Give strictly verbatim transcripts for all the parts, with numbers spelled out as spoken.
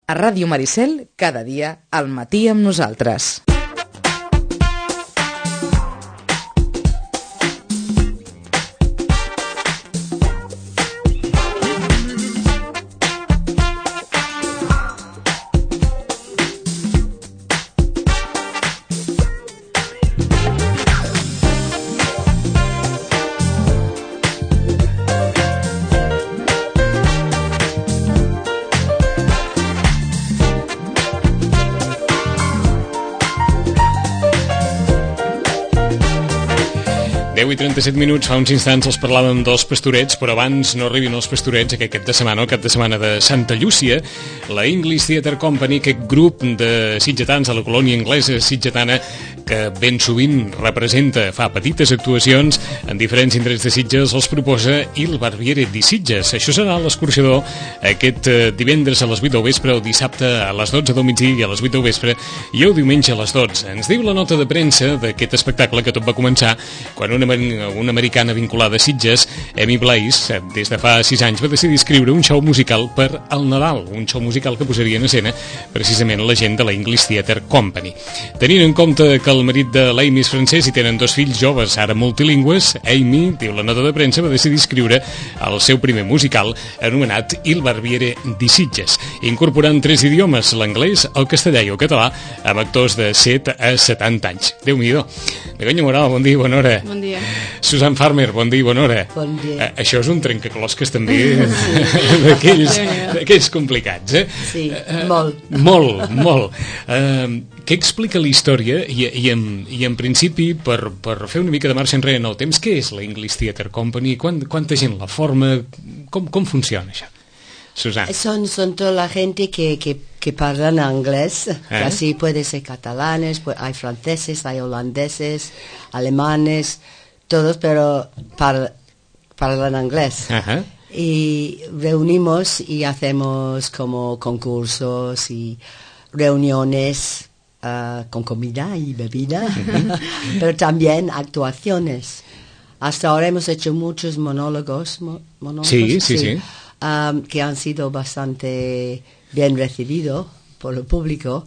A Ràdio Maricel, cada dia, al matí amb nosaltres. deu i trenta-set minuts, fa uns instants els parlàvem dels Pastorets, però abans no arribin els Pastorets aquest cap de setmana, el cap de setmana de Santa Llúcia, la English Theatre Company, aquest grup de sitgetans de la colònia anglesa sitgetana que ben sovint representa, fa petites actuacions en diferents indrets de Sitges, els proposa Il Barbiere di Sitges. Això serà l'escorxador aquest divendres a les vuit del vespre, el dissabte a les dotze del migdia i a les vuit del vespre i el diumenge a les dotze. Ens diu la nota de premsa d'aquest espectacle que tot va començar quan una una americana vinculada a Sitges, Amy Blaze, des de fa sis anys va decidir escriure un show musical per al Nadal, un show musical que posaria en escena precisament la gent de la English Theatre Company. Tenint en compte que el marit de l'Amy és francès i tenen dos fills joves, ara multilingües, Amy, diu la nota de premsa, va decidir escriure el seu primer musical anomenat Il Barbiere di Sitges, incorporant tres idiomes, l'anglès, el castellà i el català, amb actors de set a setanta anys. Déu-n'hi-do. Begoña Moral, bon dia i bona hora. Bon dia. Susan Farmer, bon dia i bona hora. Bon dia. Eh, això és un trencaclosques també d'aquells, d'aquells complicats, eh? Sí, eh, molt. Molt, molt. Eh, què explica la història i, i, en, i en principi, per, per fer una mica de marxa enrere en el temps, què és la English Theatre Company? Quant, quanta gent la forma? Com, com funciona això? Susana. Son, son toda la gente que, que, que hablan inglés, ¿Eh? Así puede ser catalanes, pues hay franceses, hay holandeses, alemanes, todos, pero par, hablan inglés. Ajá. Y reunimos y hacemos como concursos y reuniones uh, con comida y bebida, pero también actuaciones. Hasta ahora hemos hecho muchos monólogos, mo, monólogos sí, sí, sí. sí. Um, que han sido bastante bien recibidos por el público,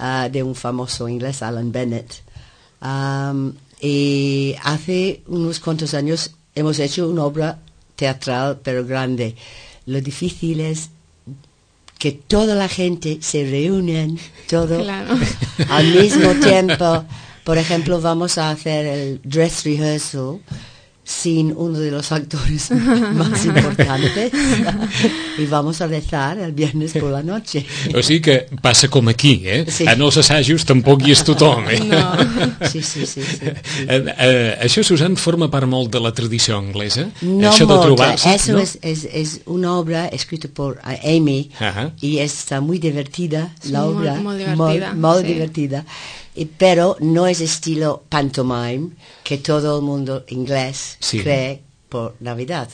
uh, de un famoso inglés, Alan Bennett. Um, y hace unos cuantos años hemos hecho una obra teatral, pero grande. Lo difícil es que toda la gente se reúne, todo claro. al mismo tiempo. Por ejemplo, vamos a hacer el dress rehearsal sin uno de los actores más importantes y vamos a rezar el viernes por la noche. O sigui que passa com aquí, eh? Sí. En els assajos tampoc hi és tothom, eh? No. Sí, sí, sí. sí, sí. Eh, eh, això, Susan, forma part molt de la tradició anglesa? No això molta, de trobar-se, eso ¿no? es, es, es una obra escrita por Amy Ajá. y está muy divertida, sí, la obra, muy, muy divertida, muy, muy sí. divertida. Pero no es estilo pantomime que todo el mundo inglés sí. cree por Navidad.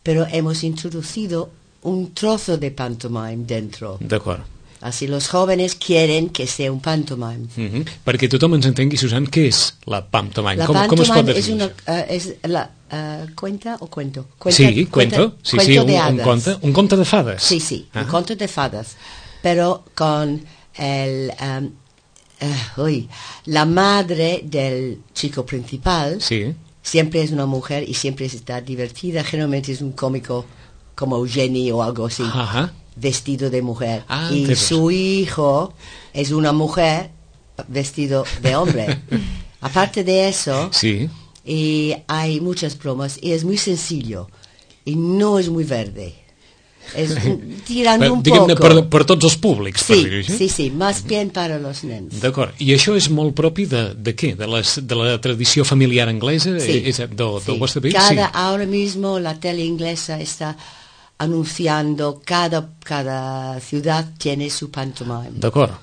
Pero hemos introducido un trozo de pantomime dentro. D'acord. Así los jóvenes quieren que sea un pantomime. Uh-huh. Perquè tothom ens entengui, Susan, què és la pantomime? La com, com es pot pantomime definir? es una uh, es la uh, cuenta o cuento. Cuenta, sí, cuenta, cuento. Sí, cuento sí, un, de un, conte, un conte de fades. Sí, sí, ah. un conte de fadas. Pero con el... Um, Uh, uy, la madre del chico principal sí. siempre es una mujer y siempre está divertida. Generalmente es un cómico como Eugenie o algo así, Ajá. vestido de mujer. Ah, y su hijo es una mujer vestido de hombre. Aparte de eso, sí. y hay muchas bromas y es muy sencillo y no es muy verde. Es tirando per, un diguem-ne, poco. per, per tots els públics, sí, per dir-ho així. Sí, sí, más bien para los nens. D'acord. I això és molt propi de, de què? De, les, de la tradició familiar anglesa? Sí. És de, del sí. vostre país? Cada, sí. Ahora mismo la tele inglesa está anunciando, cada, cada ciudad tiene su pantomime. D'acord.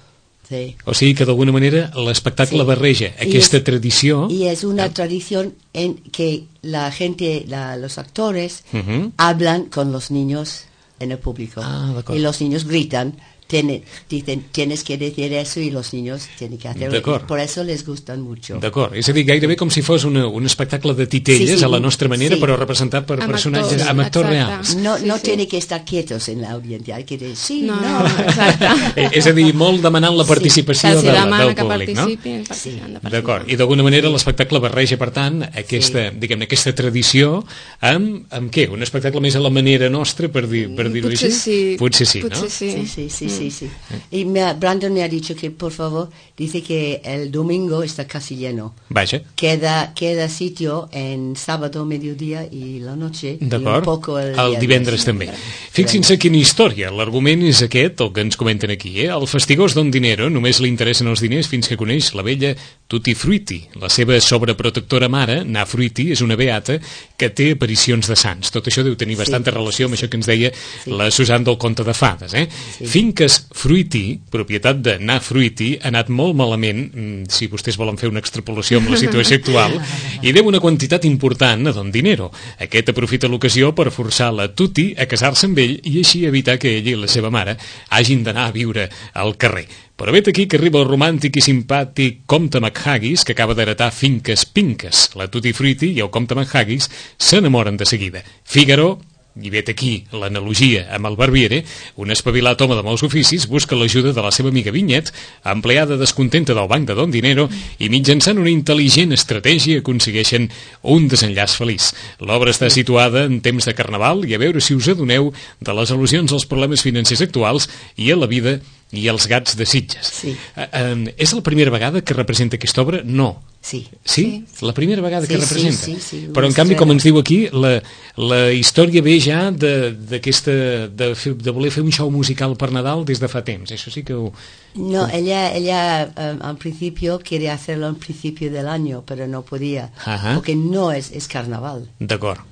Sí. O sigui que d'alguna manera l'espectacle sí. barreja aquesta y es, tradició... Y es una eh? tradición en que la gente, la, los actores, uh-huh. hablan con los niños en el público. Ah, y los niños gritan Tiene, dicen, tienes que decir eso y los niños tienen que hacerlo. Por eso les gustan mucho. D'acord, és a dir, gairebé com si fos una, un espectacle de titelles sí, sí, a la nostra manera, sí. Però representat per amb personatges, actors, amb actors reals. No, no sí, tiene sí. que estar quietos en l'audiencia, hay que decir sí, no. no. no exacte. És a dir, molt demanant la participació sí. de, demana del públic, no? Sí. D'acord, i d'alguna manera l'espectacle barreja, per tant, aquesta, sí. diguem-ne, aquesta tradició amb, amb què? Un espectacle més a la manera nostra, per dir, per dir-ho així? Sí. Potser sí, Potser no? sí. Sí, sí, sí, sí, sí. Y me, Brandon me ha dicho que, por favor, dice que el domingo está casi lleno. Vaja. Queda, queda sitio en sábado, mediodía y la noche. D'acord. Un poco el, el divendres també. Fixin-se quina història. L'argument és aquest, el que ens comenten aquí. Eh? El fastigós Don Dinero només li interessen els diners fins que coneix la vella Tutti Frutti. La seva sobreprotectora mare, Na Frutti, és una beata que té aparicions de sants. Tot això deu tenir bastanta sí. relació amb això que ens deia sí. la Susan del conte de fades. Eh? Sí. Finques Frutti, propietat de Na Frutti, ha anat molt malament, si vostès volen fer una extrapolació amb la situació actual, i deu una quantitat important a Don Dinero. Aquest aprofita l'ocasió per forçar la Tutti a casar-se amb ell i així evitar que ell i la seva mare hagin d'anar a viure al carrer. Però vet aquí que arriba el romàntic i simpàtic comte McHaggis, que acaba d'heretar finques pinques. La Tutti Frutti i el comte McHaggis s'enamoren de seguida. Figaro, i vet aquí l'analogia amb el Barbiere, un espavilat home de molts oficis busca l'ajuda de la seva amiga Vinyet, empleada descontenta del banc de Don Dinero, i mitjançant una intel·ligent estratègia aconsegueixen un desenllaç feliç. L'obra està situada en temps de Carnaval i a veure si us adoneu de les al·lusions als problemes financers actuals i a la vida i els gats de Sitges. Sí. Uh, uh, és la primera vegada que representa aquesta obra? No. Sí. Sí? sí. La primera vegada sí, que representa? Sí, sí, sí. Però en canvi, com ens diu aquí, la, la història ve ja d'aquesta de, de, de voler fer un show musical per Nadal des de fa temps. Això sí que ho... No, ella, ella um, al principio quiere hacerlo al principio del año, pero no podía, Ajá. porque no es, es carnaval. D'acord.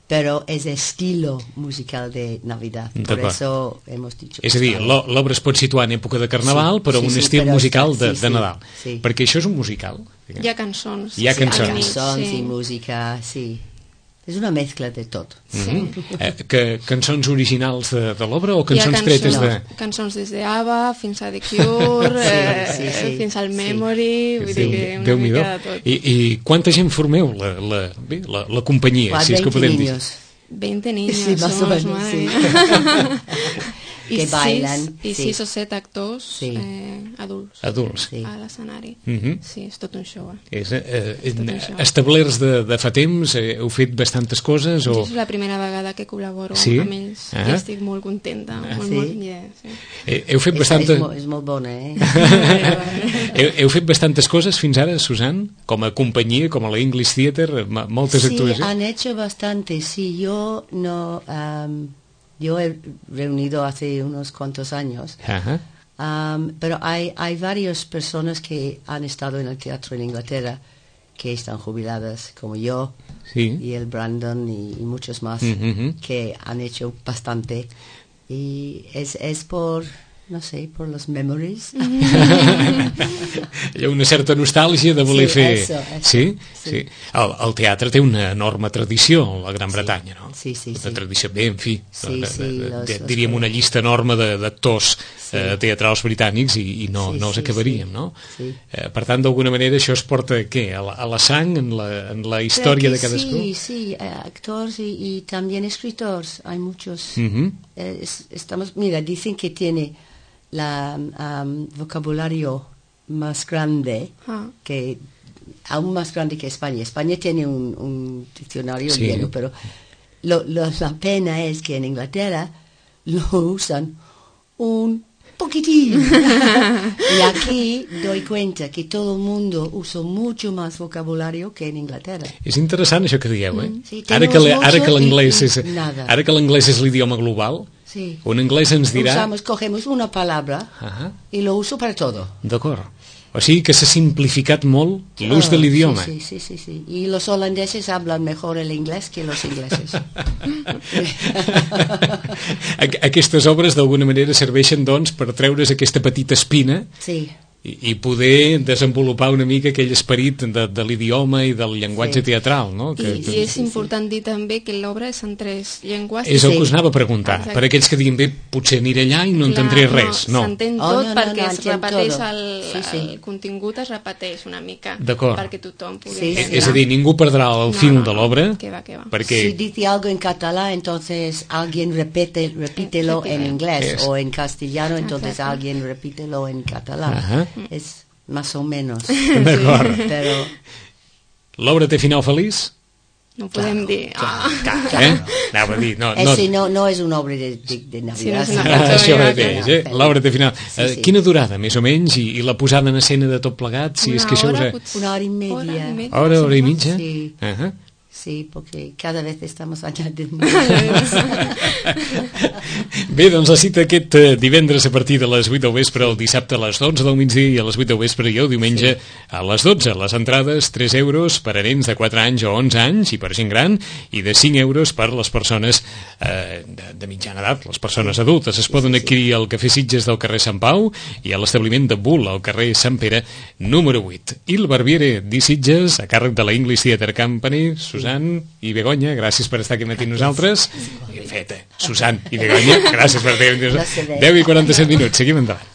Pero es estilo musical de Navidad, por eso hemos dicho... És a dir, l'obra es pot situar en època de Carnaval, sí, però sí, un sí, estil però musical de, sí, de Nadal. Sí. Perquè això és un musical. Hi ha cançons. Hi ha cançons. Hi ha cançons sí. i música, sí. És una mescla de tot. Sí. Mm-hmm. eh, que, cançons originals de, de l'obra o cançons, cançons tretes de... No, cançons des d'Ava fins a The Cure, sí, eh, sí, sí. fins al Memory, sí. vull dir que una mica de tot. I, I quanta gent formeu la, la, bé, la, la companyia? Qua, si és que podem dir. veinte niños sí, más somos, o menos, madre sí. mía. que I bailan. Sis, I sí. sis o set actors sí. eh, adults, adults. Sí. a l'escenari. Mm-hmm. Sí, és tot un show. Eh? És, eh, és tot show. Establerts de, de fa temps, eh, heu fet bastantes coses? O... És la primera vegada que col·laboro sí? amb ells ah. i estic molt contenta. Ah. Molt, sí? molt, yeah, sí. Eh, heu fet és, bastanta... és, molt, és molt bona, eh? heu, heu fet bastantes coses fins ara, Susan? Com a companyia, com a la English Theatre, moltes sí, actuacions? Sí, han hecho bastante. Sí, yo no... Um, Yo he reunido hace unos cuantos años, Ajá. um, pero hay, hay varias personas que han estado en el teatro en Inglaterra que están jubiladas, como yo, sí. y el Brandon y, y muchos más, mm-hmm. que han hecho bastante. Y es, es por... no sé, por los memories. Hi ha una certa nostàlgia de voler sí, fer... Eso, eso. Sí? Sí. sí. El, el teatre té una enorme tradició a la Gran sí. Bretanya, no? Sí, sí, una sí. tradició, bé, en fi, sí, de, sí, de, de, los, de, los diríem una llista enorme d'actors sí. eh, teatrals britànics i, i no, sí, no els sí, acabaríem, sí. no? Sí. Eh, per tant, d'alguna manera, això es porta, què? A la, a la sang, en la, en la història de cadascú? Sí, sí, actors y, y también escritores, hay muchos. Mm-hmm. eh, es, estamos, mira, dicen que tiene la um, vocabulario más grande, ah. que aún más grande que España. España tiene un, un diccionario sí. lleno, pero lo, lo, la pena es que en Inglaterra lo usan un poquitín. Y aquí doy cuenta que todo el mundo usa mucho más vocabulario que en Inglaterra. És interessant això que dieu, eh? Mm. Sí, ara que, ara que l'anglès és, nada. ara que l'anglès és l'idioma global, sí. un anglès ens dirà... Usamos, cogemos una palabra uh-huh. y lo uso para todo. D'acord. O sigui que s'ha simplificat molt l'ús oh, de l'idioma. Sí, sí, sí, sí. Y los holandeses hablan mejor el inglés que los ingleses. Aquestes obres d'alguna manera serveixen, doncs, per treure's aquesta petita espina sí. i, i poder desenvolupar una mica aquell esperit de, de l'idioma i del llenguatge sí. teatral, no? Que, I, que... I és important dir també que l'obra és en tres llengües. És el que us anava a preguntar. Exacte. Per aquells que diguin, bé, potser aniré allà i no entendré res. No, s'entén no. tot Oh, no, perquè no, no, es repeteix todo. el, sí, sí. el contingut es repeteix una mica D'acord. perquè tothom pugui Sí, entendre. És a dir, ningú perdrà el No, fil no, de no. l'obra. Que va, que va. Perquè... Si dice algo en catalán, entonces alguien repite, repítelo Repite. en inglés, Es. o en castellano, entonces Exacto. alguien repítelo en catalán. Ajá. Es más o menos. D'acord. Pero L'obra té final feliç? No podem dir... Ah. Eh? Anava a dir, no, no... ese no, no es una obra de, de, de Sí, no Navidad. és una sino- cançó Ah, això de mateix, eh? L'obra té final. Sí, Eh, sí. Quina durada, més o menys, i, i la posada en escena de tot plegat, si Una és que això us... hora, Ha... potser. Una hora y media. Hora i media, Hora, hora i sí, mitja? Sí. Uh-huh. Sí, porque cada vez estamos añadiendo. Bé, doncs la cita aquest eh, divendres a partir de les vuit del vespre, el dissabte a les dotze del migdia i a les vuit del vespre i el diumenge sí. a les dotze. Les entrades, tres euros per a nens de quatre anys o onze anys i per gent gran, i de cinc euros per les persones eh, de, de mitjana edat, les persones adultes. Es poden adquirir al Cafè Sitges del carrer Sant Pau i a l'establiment de Bull al carrer Sant Pere número vuit. I el Barbiere di Sitges, a càrrec de la English Theatre Company. Susan i Begoña, gràcies per estar aquí matí nosaltres. Ben fet, eh? Susan i Begoña, gràcies per estar aquí. deu i quaranta-set minuts, seguim endavant.